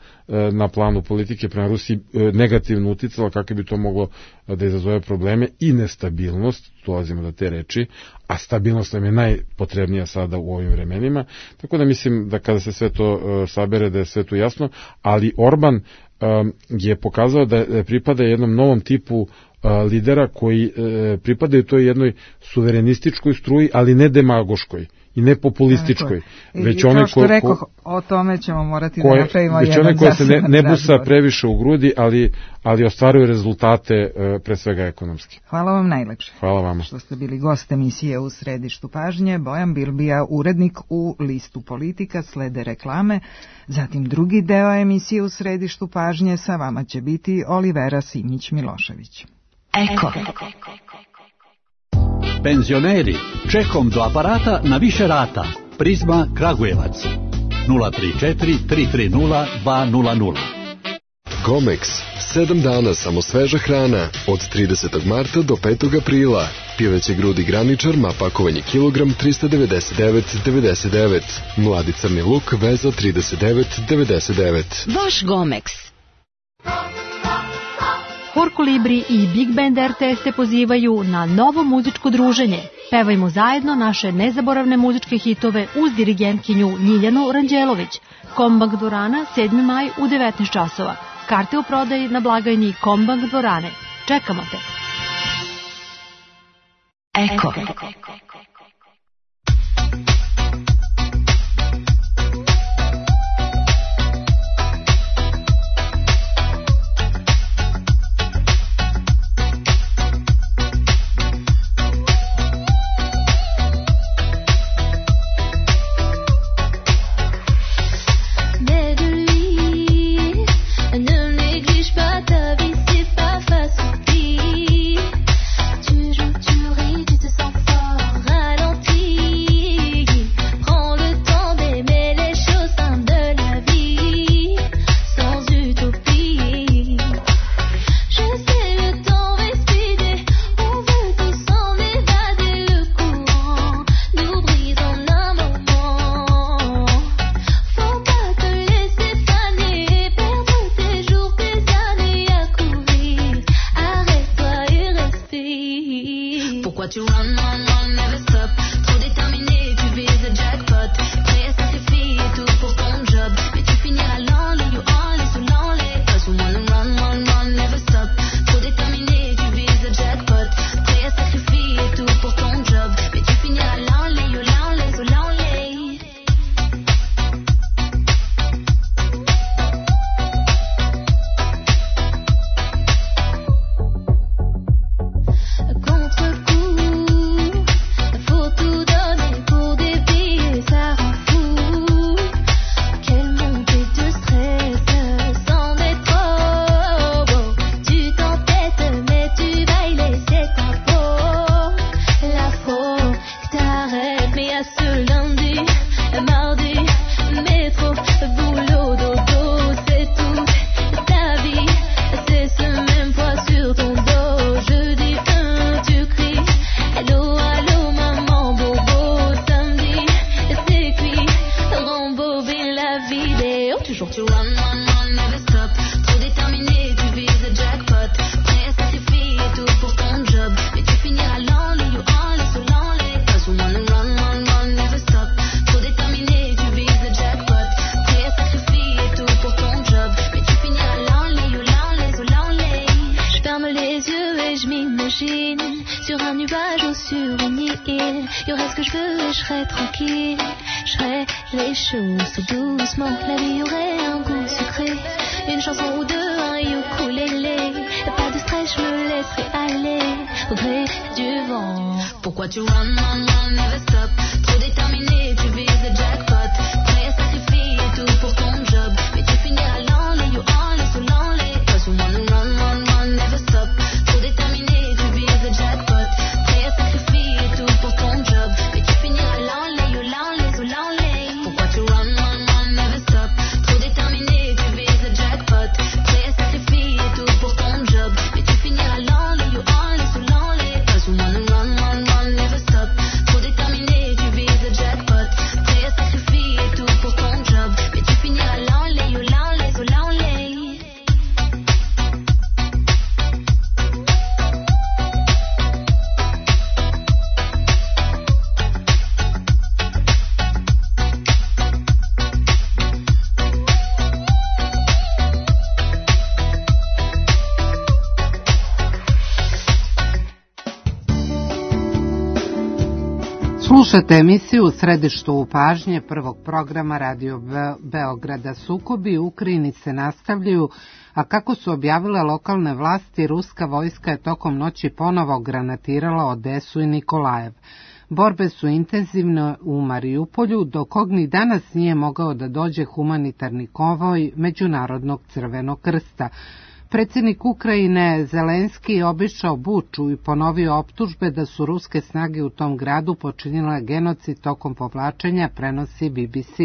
na planu politike prema Rusiji negativno uticala, kako bi to moglo da izazove probleme i nestabilnost, dolazimo do te reči, a stabilnost nam je najpotrebnija sada u ovim vremenima. Tako da mislim da kada se sve to sabere, da je sve to jasno, ali Orban je pokazao da pripada jednom novom tipu lidera koji pripadaju toj jednoj suverenističkoj struji, ali ne demagoškoj i ne populističkoj. Već onaj što rekoh, o tome ćemo morati da napravimo jedan zasebno. Već onaj koji se ne busa previše u grudi, ali ostvaruje rezultate pre svega ekonomski. Hvala vam najlepše. Hvala vama. Što ste bili gost emisije U središtu pažnje. Bojan Bilbija, urednik u Listu Politika, slede reklame. Zatim drugi deo emisije U središtu pažnje, sa vama će biti Olivera Simić-Milošević. Eko. Penzioneri, čekom do aparata na više rata. Prizma Kragujevac 034 330 200. Gomex, 7 dana samo sveža hrana, od 30. marta do 5. aprila. Pileće grudi graničar, pakovanje kilogram 399,99. Mladi crni luk, veza 39,99. Vaš Gomex. Hor Kolibri i Big Band RTS te pozivaju na novo muzičko druženje. Pevajmo zajedno naše nezaboravne muzičke hitove uz dirigentkinju Ljiljanu Ranđelović. Kombank dvorana, 7. maj u 19 časova. Karte u prodaji na blagajni Kombank dvorane. Čekamo te. Eko. Tu joues, tu ris, tu te sens fort. île. Y aurait ce que je veux et je serais tranquille. Je ferais les choses tout doucement. La vie aurait un goût sucré. Une chanson ou deux, un ukulélé. Pas de stress, je me laisserai aller au gré du vent. Pourquoi tu run, never stop? Trop déterminé, tu vises le jackpot. Prêt à sacrifier tout pour ton job. Mais tu finiras l'enlé, you enlé, sous l'enlé. Cause you wanna run, never stop. Trop déterminé, tu vises le jackpot. Prêt à sacrifier tout pour ton job. Mais tu finiras l'enlé, you l'enlé, sous l'enlé. Pourquoi tu run, never stop? Trop déterminé, tu vises le jackpot. Prêt à sacrifier tout pour ton job. Mais tu finiras l'enlé, you enlé, sous l'enlé. Cause you wanna run, never stop. Trop déterminé, tu vises le jackpot. Prêt à sacrifier tout pour ton job. Mais tu finiras l'enlé, you l'enlé, sous l'enlé. Slušate emisiju U središtu pažnje prvog programa Radio Beograda. Sukobi u Ukrajini se nastavljaju, a kako su objavile lokalne vlasti, ruska vojska je tokom noći ponovo granatirala Odesu i Nikolajev. Borbe su intenzivne u Marijupolju, do kog ni danas nije mogao da dođe humanitarni konvoj Međunarodnog crvenog krsta. Predsjednik Ukrajine Zelenski je obišao Buču i ponovio optužbe da su ruske snage u tom gradu počinile genocid tokom povlačenja, prenosi BBC.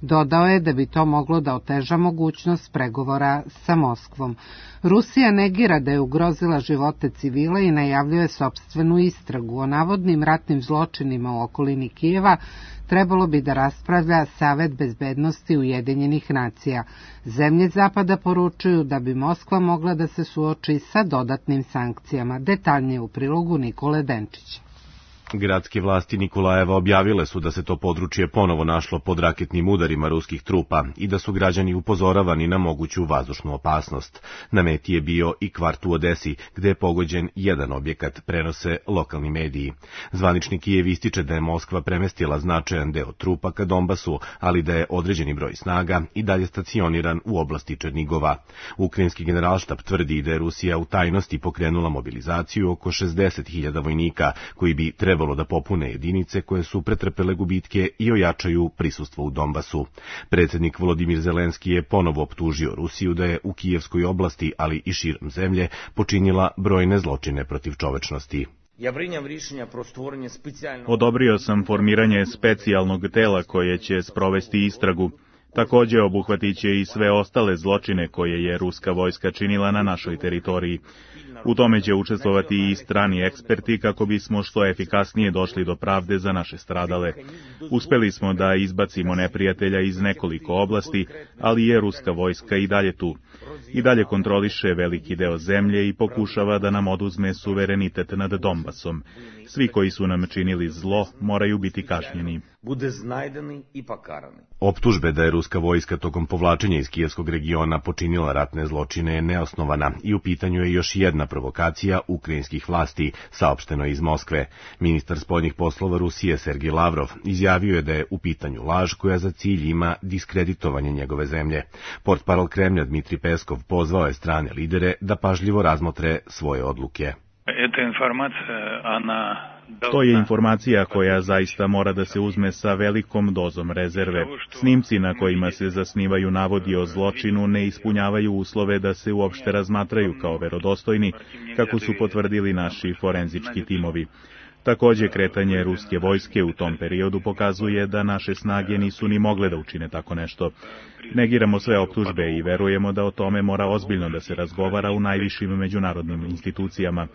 Dodao je da bi to moglo da oteža mogućnost pregovora sa Moskvom. Rusija negira da je ugrozila živote civila i najavljuje sopstvenu istragu o navodnim ratnim zločinima u okolini Kijeva. Trebalo bi da raspravlja Savet bezbednosti Ujedinjenih nacija. Zemlje Zapada poručuju da bi Moskva mogla da se suoči sa dodatnim sankcijama. Detaljnije u prilogu Nikole Denčića. Gradske vlasti Nikolajeva objavile su da se to područje ponovo našlo pod raketnim udarima ruskih trupa i da su građani upozoravani na moguću vazdušnu opasnost. Na meti je bio i kvart u Odesi, gde je pogođen jedan objekat, prenose lokalni mediji. Zvanični Kijev ističe da je Moskva premestila značajan deo trupa ka Donbasu, ali da je određeni broj snaga i dalje stacioniran u oblasti Černigova. Ukrajinski generalštab tvrdi da je Rusija u tajnosti pokrenula mobilizaciju oko 60.000 vojnika, koji bi trebalo da popune jedinice koje su pretrpele gubitke i ojačaju prisustvo u Donbasu. Predsjednik Volodimir Zelenski je ponovo optužio Rusiju da je u Kijevskoj oblasti, ali i širom zemlje, počinila brojne zločine protiv čovečnosti. Odobrio sam formiranje specijalnog tela koje će sprovesti istragu. Također obuhvatit će i sve ostale zločine koje je ruska vojska činila na našoj teritoriji. U tome će učestvovati i strani eksperti kako bismo što efikasnije došli do pravde za naše stradale. Uspeli smo da izbacimo neprijatelja iz nekoliko oblasti, ali je ruska vojska i dalje tu. I dalje kontroliše veliki deo zemlje i pokušava da nam oduzme suverenitet nad Donbasom. Svi koji su nam činili zlo moraju biti kažnjeni. Optužbe da je ruska vojska tokom povlačenja iz kijevskog regiona počinila ratne zločine je neosnovana i u pitanju je još jedna provokacija ukrajinskih vlasti, saopšteno iz Moskve. Ministar spoljnih poslova Rusije Sergej Lavrov izjavio je da je u pitanju laž koja za cilj ima diskreditovanje njegove zemlje. Portparol Kremlja Dmitri Peskov pozvao je strane lidere da pažljivo razmotre svoje odluke. To je informacija koja zaista mora da se uzme sa velikom dozom rezerve. Snimci na kojima se zasnivaju navodi o zločinu ne ispunjavaju uslove da se uopšte razmatraju kao verodostojni, kako su potvrdili naši forenzički timovi. Također, kretanje ruske vojske u tom periodu pokazuje da naše snage nisu ni mogle da učine tako nešto. Negiramo sve optužbe i verujemo da o tome mora ozbiljno da se razgovara u najvišim međunarodnim institucijama.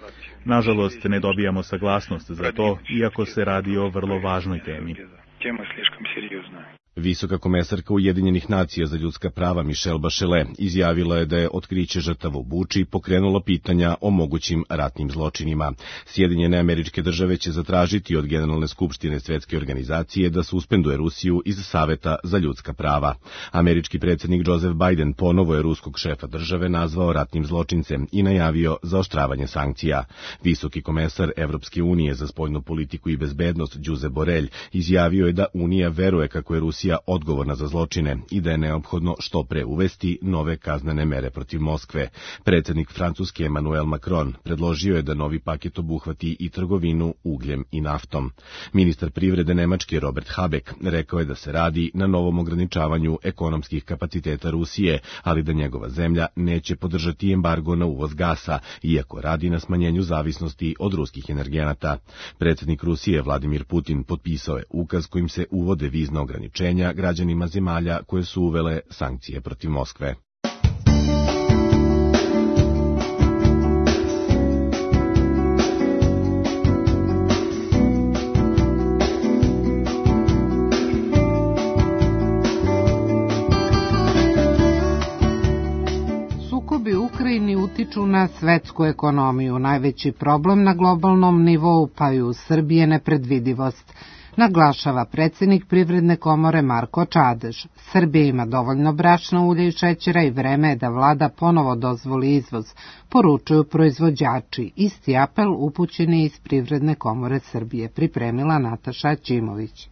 Nažalost, ne dobijamo saglasnost za to, iako se radi o vrlo važnoj temi. Visoka komesarka Ujedinjenih nacija za ljudska prava Michelle Bachelet izjavila je da je otkriće žrtava u Buči pokrenulo pitanja o mogućim ratnim zločinima. Sjedinjene Američke Države će zatražiti od Generalne skupštine Svetske organizacije da suspenduje Rusiju iz Saveta za ljudska prava. Američki predsjednik Joseph Biden ponovo je ruskog šefa države nazvao ratnim zločincem i najavio zaoštravanje sankcija. Visoki komesar Evropske unije za spoljnu politiku i bezbednost Josep Borrell izjavio je da Unija veruje kako je Rusija odgovorna za zločine i da je neophodno što pre uvesti nove kaznene mere protiv Moskve. Predsjednik Francuske Emmanuel Macron predložio je da novi paket obuhvati i trgovinu ugljem i naftom. Ministar privrede Nemačke Robert Habeck rekao je da se radi na novom ograničavanju ekonomskih kapaciteta Rusije, ali da njegova zemlja neće podržati embargo na uvoz gasa, iako radi na smanjenju zavisnosti od ruskih energenata. Predsjednik Rusije Vladimir Putin potpisao je ukaz kojim se uvode vizna ograničenja građanima zemalja koje su uvele sankcije protiv Moskve. Sukobi u Ukrajini utiču na svetsku ekonomiju. Najveći problem na globalnom nivou, pa i u Srbiji, je nepredvidivost, naglašava predsjednik Privredne komore Marko Čadež. Srbija ima dovoljno brašna, ulja i šećera i vreme je da vlada ponovo dozvoli izvoz, poručuju proizvođači. Isti apel upućen je iz Privredne komore Srbije, pripremila Nataša Ćimović.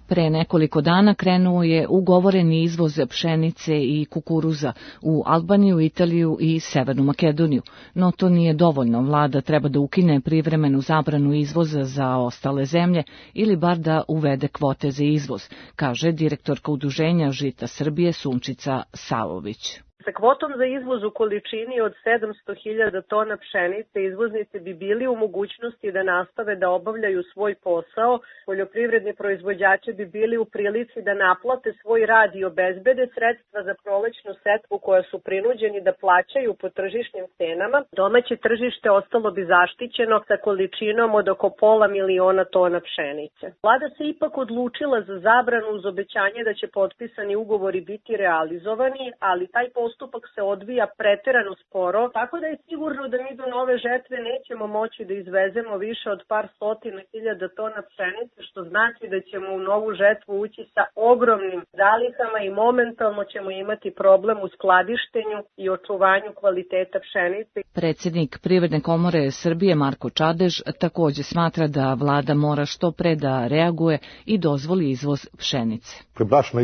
Pre nekoliko dana krenuo je ugovoreni izvoz pšenice i kukuruza u Albaniju, Italiju i Severnu Makedoniju, no to nije dovoljno. Vlada treba da ukine privremenu zabranu izvoza za ostale zemlje ili bar da uvede kvote za izvoz, kaže direktorka Udruženja Žita Srbije Sunčica Savović. Sa kvotom za izvoz u količini od 700.000 tona pšenice izvoznici bi bili u mogućnosti da nastave da obavljaju svoj posao, poljoprivredni proizvođači bi bili u prilici da naplate svoj rad i obezbede sredstva za prolećnu setvu koja su prinuđeni da plaćaju po tržišnim cenama. Domaće tržište ostalo bi zaštićeno sa količinom od oko 500.000 tona pšenice. Vlada se ipak odlučila za zabranu uz obećanje da će potpisani ugovori biti realizovani, ali taj postupak se odvija preterano sporo, tako da je sigurno da mi do nove žetve nećemo moći da izvezemo više od par stotina hiljada tona pšenice, što znači da ćemo u novu žetvu ući sa ogromnim zalihama i momentalno ćemo imati problem u skladištenju i očuvanju kvaliteta pšenice. Predsjednik Privredne komore Srbije Marko Čadež također smatra da vlada mora što pre da reaguje i dozvoli izvoz pšenice. Brašna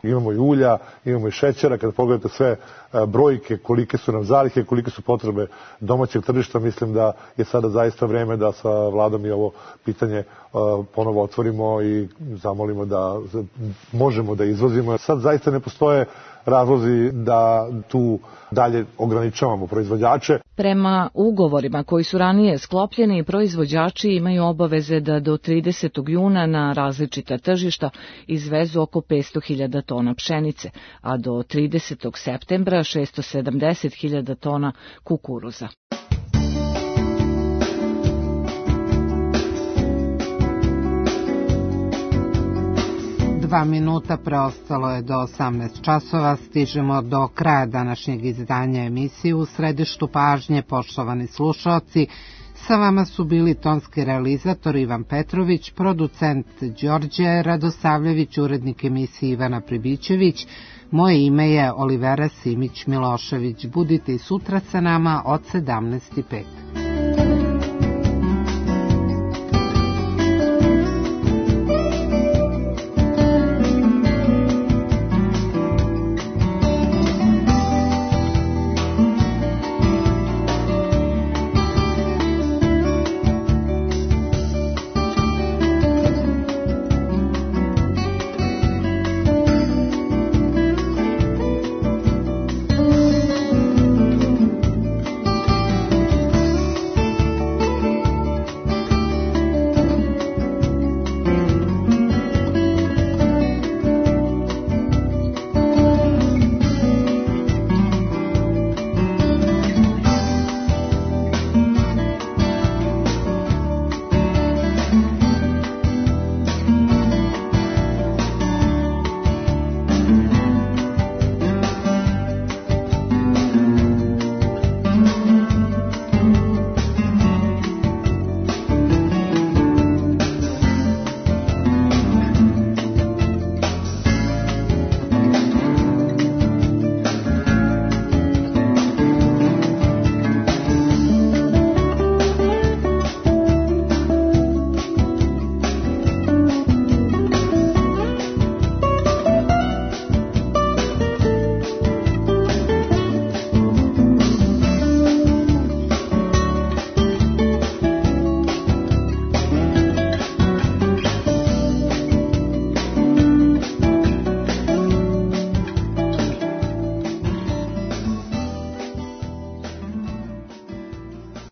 imamo i ulja, imamo i šećera, kad pogledate sve brojke, kolike su nam zalihe, kolike su potrebe domaćeg tržišta, mislim da je sada zaista vreme da sa vladom i ovo pitanje ponovo otvorimo i zamolimo da možemo da izvozimo. Sad zaista ne postoje razlozi da tu dalje ograničavamo proizvođače. Prema ugovorima koji su ranije sklopljeni, proizvođači imaju obaveze da do 30. juna na različita tržišta izvezu oko 500.000 tona pšenice, a do 30. septembra 670.000 tona kukuruza. Dva minuta preostalo je do 18 časova, stižemo do kraja današnjeg izdanja emisije U središtu pažnje, poštovani slušaoci. Sa vama su bili tonski realizator Ivan Petrović, producent Đorđe Radosavljević, urednik emisije Ivana Pribićević. Moje ime je Olivera Simić Milošević. Budite i sutra sa nama od 17:05.